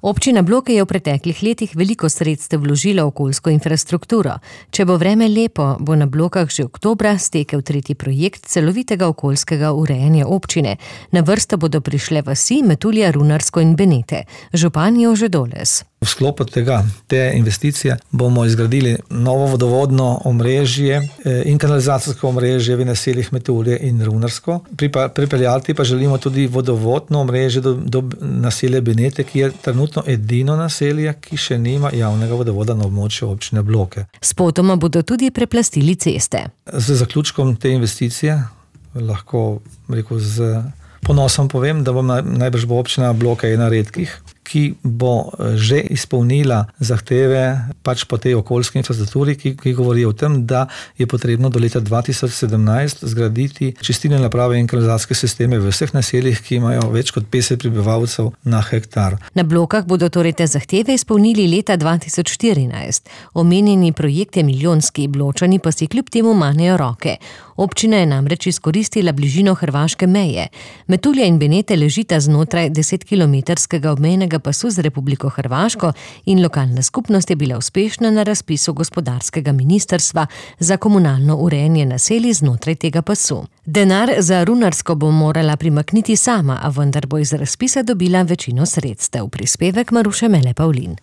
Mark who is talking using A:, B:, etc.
A: Občina Bloke je v preteklih letih veliko sredstev vložila v okoljsko infrastrukturo. Če bo vreme lepo, bo na Blokah že oktobra stekel 3. projekt celovitega okoljskega urejanja občine. Na vrsto bodo prišle vasi Metulja, Runarsko in Benete. Župan Jože Doles.
B: V sklopu te investicije bomo izgradili novo vodovodno omrežje in kanalizacijsko omrežje v naseljih Metulje in Runarsko. Pripeljati pa želimo tudi vodovodno omrežje do naselja Benete, ki je trenutno edino naselje, ki še nima javnega vodovoda na območju občine Bloke.
A: Spotoma bodo tudi preplastili ceste.
B: Z zaključkom te investicije lahko z ponosom povem, da najbrž bo občina Bloke ena redkih, ki bo že izpolnila zahteve po tej okoljski infrastrukturi, ki govori o tem, da je potrebno do leta 2017 zgraditi čistilne naprave in kanalizacijske sisteme v vseh naseljih, ki imajo več kot 50 prebivalcev na hektar.
A: Na Blokah bodo torej te zahteve izpolnili leta 2014. Omenjeni projekt je milijonski, Bločani pa si kljub temu manejo roke. Občina je namreč izkoristila bližino hrvaške meje. Metulja in Benete ležita znotraj 10-kilometrskega obmejnega pasu z Republiko Hrvaško in lokalna skupnost je bila uspešna na razpisu gospodarskega ministrstva za komunalno urejanje naselij znotraj tega pasu. Denar za Runarsko bo morala primakniti sama, a vendar bo iz razpisa dobila večino sredstev. Prispevek Maruše Mele Pavlin.